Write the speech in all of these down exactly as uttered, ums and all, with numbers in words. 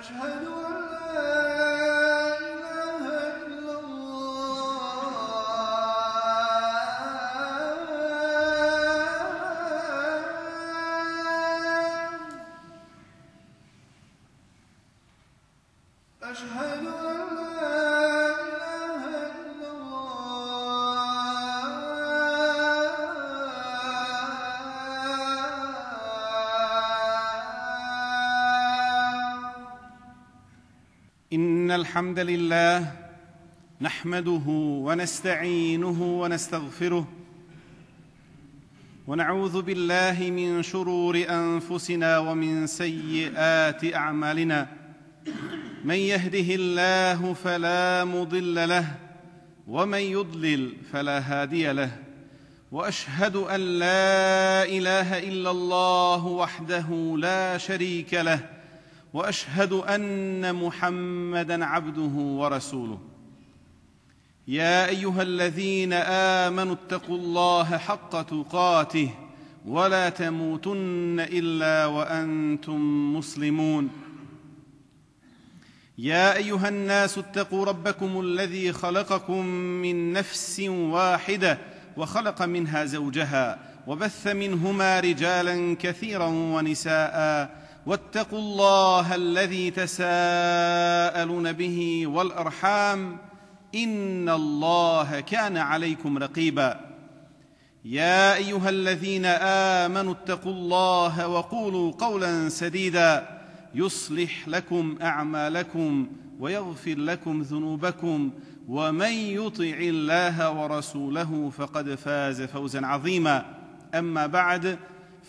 أشهد أن لا إله إلا الله أشهد أن لا إله إلا إن الحمد لله نحمده ونستعينه ونستغفره ونعوذ بالله من شرور أنفسنا ومن سيئات أعمالنا من يهده الله فلا مضل له ومن يضلل فلا هادي له وأشهد أن لا إله إلا الله وحده لا شريك له وأشهد أن محمدًا عبده ورسوله يا أيها الذين آمنوا اتقوا الله حق تقاته ولا تموتن إلا وأنتم مسلمون يا أيها الناس اتقوا ربكم الذي خلقكم من نفس واحدة وخلق منها زوجها وبث منهما رجالاً كثيراً ونساءً واتقوا الله الذي تساءلون به والأرحام إن الله كان عليكم رقيبا يا أيها الذين آمنوا اتقوا الله وقولوا قولا سديدا يصلح لكم أعمالكم ويغفر لكم ذنوبكم ومن يطع الله ورسوله فقد فاز فوزا عظيما أما بعد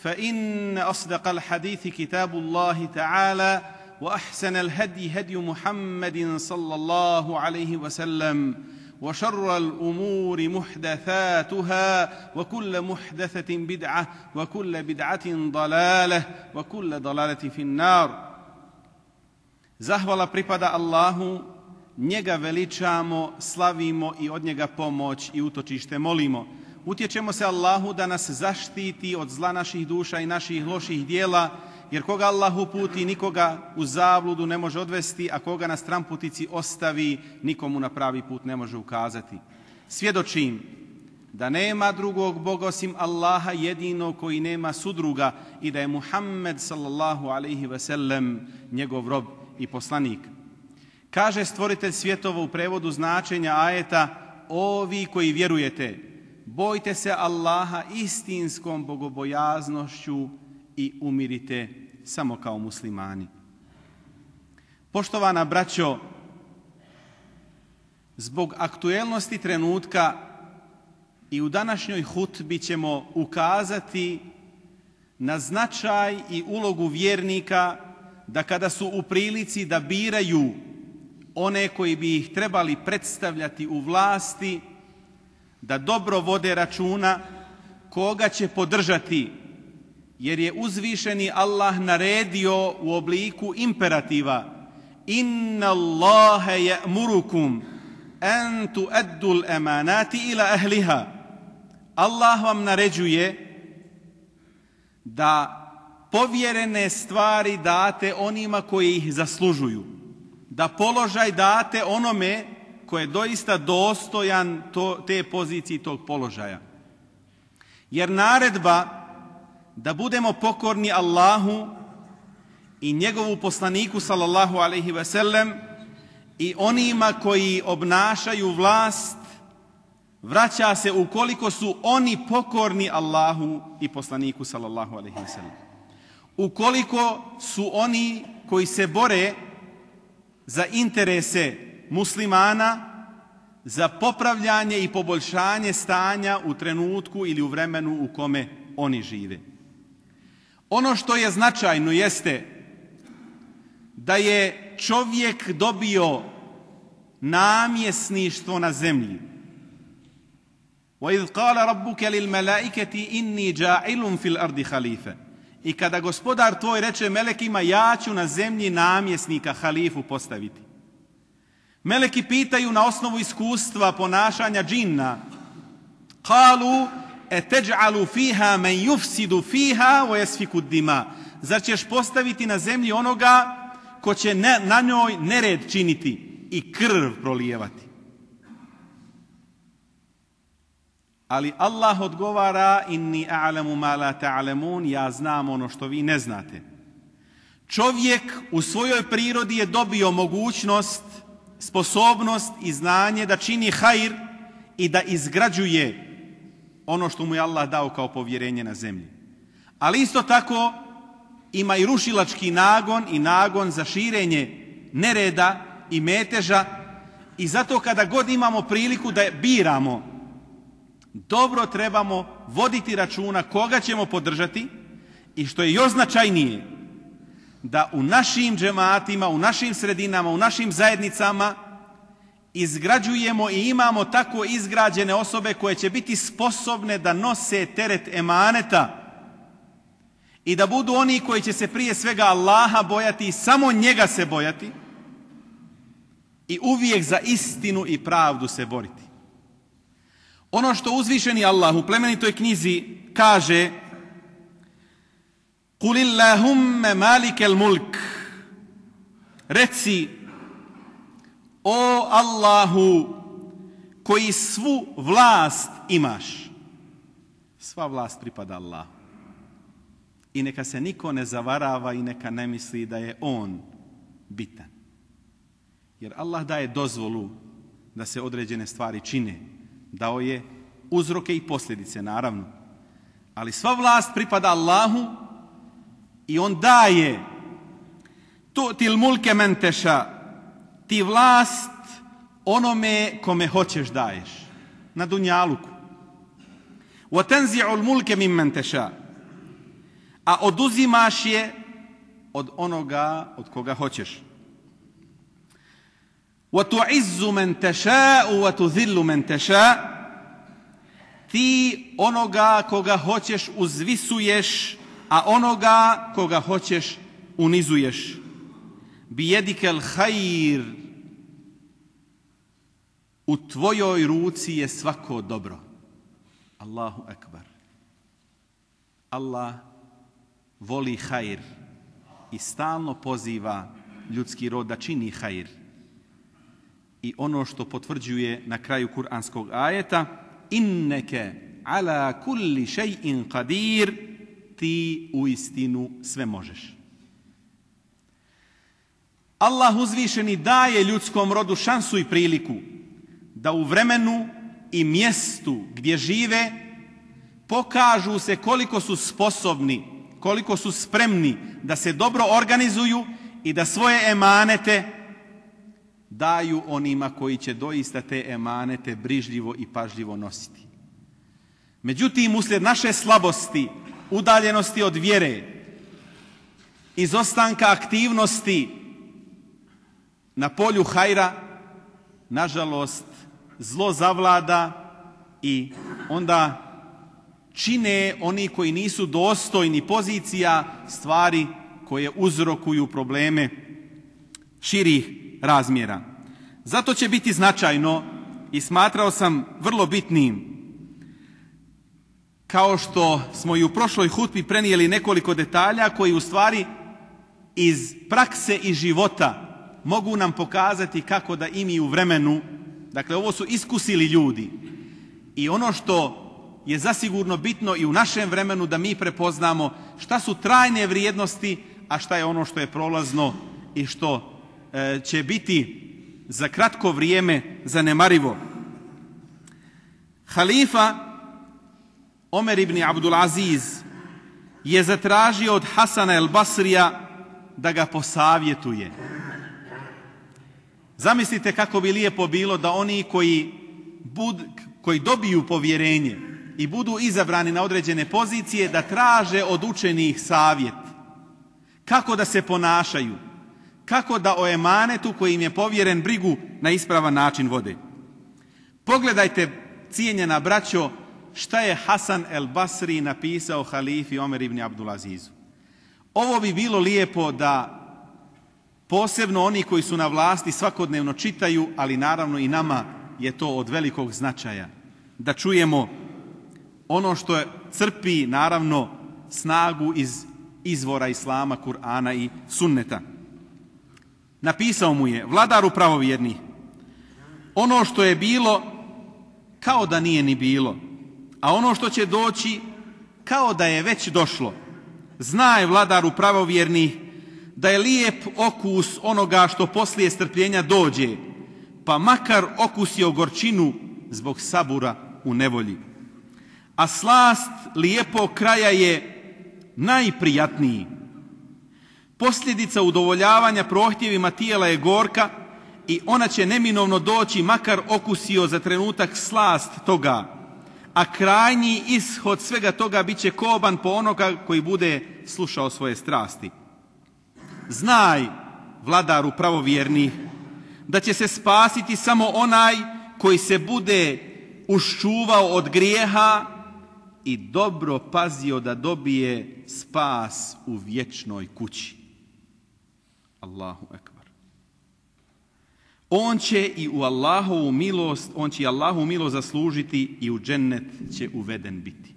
فإن أصدق الحديث كتاب الله تعالى وأحسن الهدي هدي محمد صلى الله عليه وسلم وشر الأمور محدثاتها وكل محدثة بدعة وكل بدعة ضلالة وكل ضلالة في النار. Zahvala pripada Allahu, njega veličamo, slavimo i od njega pomoć i utočište molimo. Utječemo se Allahu da nas zaštiti od zla naših duša i naših loših dijela, jer koga Allah uputi, nikoga u zabludu ne može odvesti, a koga na stramputici ostavi, nikomu na pravi put ne može ukazati. Svjedočim da nema drugog Boga osim Allaha jedinog koji nema sudruga i da je Muhammed sallallahu alaihi ve sellem njegov rob i poslanik. Kaže stvoritelj svjetova u prevodu značenja ajeta: ovi koji vjerujete, bojte se Allaha istinskom bogobojaznošću i umirite samo kao muslimani. Poštovana braćo, zbog aktuelnosti trenutka i u današnjoj hutbi ćemo ukazati na značaj i ulogu vjernika da kada su u prilici da biraju one koji bi ih trebali predstavljati u vlasti, da dobro vode računa koga će podržati, jer je uzvišeni Allah naredio u obliku imperativa: inna Allaha ya'murukum an tu'addu al-amanati ila ahliha. Allah vam naređuje da povjerene stvari date onima koji ih zaslužuju, da položaj date onome ko je doista dostojan to, te pozicije i tog položaja. Jer naredba da budemo pokorni Allahu i njegovu poslaniku sallallahu alaihi ve sellem i onima koji obnašaju vlast vraća se ukoliko su oni pokorni Allahu i poslaniku sallallahu alaihi ve sellem. Ukoliko su oni koji se bore za interese muslimana, za popravljanje i poboljšanje stanja u trenutku ili u vremenu u kome oni žive. Ono što je značajno jeste da je čovjek dobio namjesništvo na zemlji. وَإِذْ قَالَ رَبُّكَ لِلْمَلَائِكَةِ إِنِّي جَاعِلٌ فِي الْأَرْضِ خَلِيفَةً. I kada gospodar tvoj reče melekima: ja ću na zemlji namjesnika, halifu postaviti. Meleki pitaju na osnovu iskustva ponašanja džinna: قَالُوا أَتَجْعَلُ فِيهَا مَنْ يُفْسِدُ فِيهَا وَيَسْفِكُ الدِّمَاءَ. Zar ćeš postaviti na zemlji onoga ko će na, na njoj nered činiti i krv prolijevati. Ali Allah odgovara: inni a'lamu ma la ta'lamun, ja znam ono što vi ne znate. Čovjek u svojoj prirodi je dobio mogućnost, sposobnost i znanje da čini hajr i da izgrađuje ono što mu je Allah dao kao povjerenje na zemlji. Ali isto tako ima i rušilački nagon i nagon za širenje nereda i meteža, i zato kada god imamo priliku da biramo, dobro trebamo voditi računa koga ćemo podržati, i što je još značajnije, da u našim džematima, u našim sredinama, u našim zajednicama izgrađujemo i imamo tako izgrađene osobe koje će biti sposobne da nose teret emaneta i da budu oni koji će se prije svega Allaha bojati i samo njega se bojati i uvijek za istinu i pravdu se boriti. Ono što uzvišeni Allah u plemenitoj knjizi kaže: Qul Allahumme malikel mulk, reci, o Allahu koji svu vlast imaš. Sva vlast pripada Allahu. I neka se niko ne zavarava i neka ne misli da je on bitan. Jer Allah daje dozvolu da se određene stvari čine. Dao je uzroke i posljedice, naravno. Ali sva vlast pripada Allahu i on daje tu til mulke men teša, ti vlast onome kome hoćeš daješ. Na dunjaluku. Wa tanzi'ul mulke mimmen teša, a oduzimaš je od onoga od koga hoćeš. Wa tu'izzu men teša wa tudhillu men teša, ti onoga koga hoćeš uzvisuješ, a onoga koga hoćeš unizuješ. Bijedikel hajr, u tvojoj ruci je svako dobro. Allahu ekbar. Allah voli hajr i stalno poziva ljudski rod da čini hajr. I ono što potvrđuje na kraju kuranskog ajeta: inneke ala kulli šej'in qadir, ti u istinu sve možeš. Allah uzvišeni daje ljudskom rodu šansu i priliku da u vremenu i mjestu gdje žive pokažu se koliko su sposobni, koliko su spremni da se dobro organizuju i da svoje emanete daju onima koji će doista te emanete brižljivo i pažljivo nositi. Međutim, uslijed naše slabosti, udaljenosti od vjere, izostanka aktivnosti na polju hajra, nažalost, zlo zavlada i onda čine oni koji nisu dostojni pozicija stvari koje uzrokuju probleme širih razmjera. Zato će biti značajno i smatrao sam vrlo bitnim, kao što smo i u prošloj hutbi prenijeli nekoliko detalja koji u stvari iz prakse i života mogu nam pokazati kako da i mi u vremenu, dakle ovo su iskusili ljudi, i ono što je zasigurno bitno i u našem vremenu da mi prepoznamo šta su trajne vrijednosti, a šta je ono što je prolazno i što e, će biti za kratko vrijeme zanemarivo. Halifa Omer ibn Abdul Aziz je zatražio od Hasana el Basrija da ga posavjetuje. Zamislite kako bi lijepo bilo da oni koji, bud, koji dobiju povjerenje i budu izabrani na određene pozicije da traže od učenih savjet. Kako da se ponašaju, kako da o emanetu koji im je povjeren brigu na ispravan način vode. Pogledajte, cijenjena braćo, šta je Hasan el Basri napisao halifi Omer ibn Abdul Azizu. Ovo bi bilo lijepo da posebno oni koji su na vlasti svakodnevno čitaju, ali naravno i nama je to od velikog značaja. Da čujemo ono što je, crpi naravno snagu iz izvora Islama, Kur'ana i Sunneta. napisao mu je: vladaru pravovjerni, ono što je bilo kao da nije ni bilo, a ono što će doći kao da je već došlo. Znaj, vladaru pravovjerni, da je lijep okus onoga što poslije strpljenja dođe, pa makar okusio gorčinu zbog sabura u nevolji. A slast lijepog kraja je najprijatniji. Posljedica udovoljavanja prohtjevima tijela je gorka i ona će neminovno doći makar okusio za trenutak slast toga, a krajnji ishod svega toga bit će koban po onoga koji bude slušao svoje strasti. Znaj, vladaru pravovjerni, da će se spasiti samo onaj koji se bude uščuvao od grijeha i dobro pazio da dobije spas u vječnoj kući. Allahu ekbar. On će i u Allahovu milost, on će i Allahovu milost zaslužiti i u džennet će uveden biti.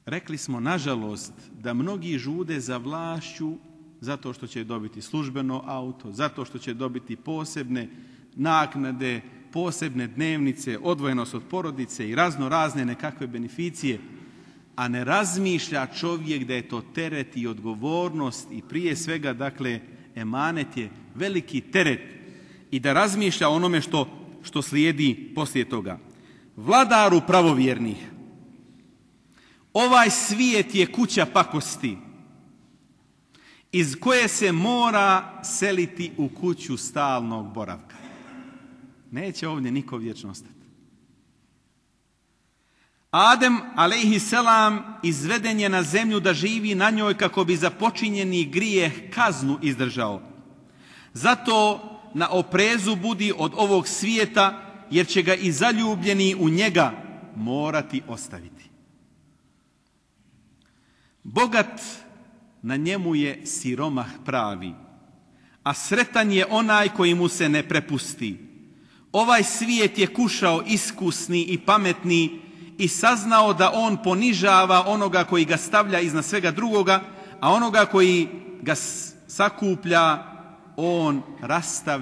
Rekli smo, nažalost, da mnogi žude za vlašću zato što će dobiti službeno auto, zato što će dobiti posebne naknade, posebne dnevnice, odvojenost od porodice i razno razne nekakve beneficije, a ne razmišlja čovjek da je to teret i odgovornost i prije svega, dakle, emanet je veliki teret i da razmišlja onome što, što slijedi poslije toga. Vladaru pravovjernih, ovaj svijet je kuća pakosti iz koje se mora seliti u kuću stalnog boravka. Neće ovdje niko vječno ostati. Adem, alejhi selam, izveden je na zemlju da živi na njoj kako bi za počinjeni grijeh kaznu izdržao. Zato na oprezu budi od ovog svijeta, jer će ga i zaljubljeni u njega morati ostaviti. Bogat, na njemu je siromah pravi, a sretan je onaj koji mu se ne prepusti. Ovaj svijet je kušao iskusni i pametni i saznao da on ponižava onoga koji ga stavlja iznad svega drugoga, a onoga koji ga sakuplja on rastavlja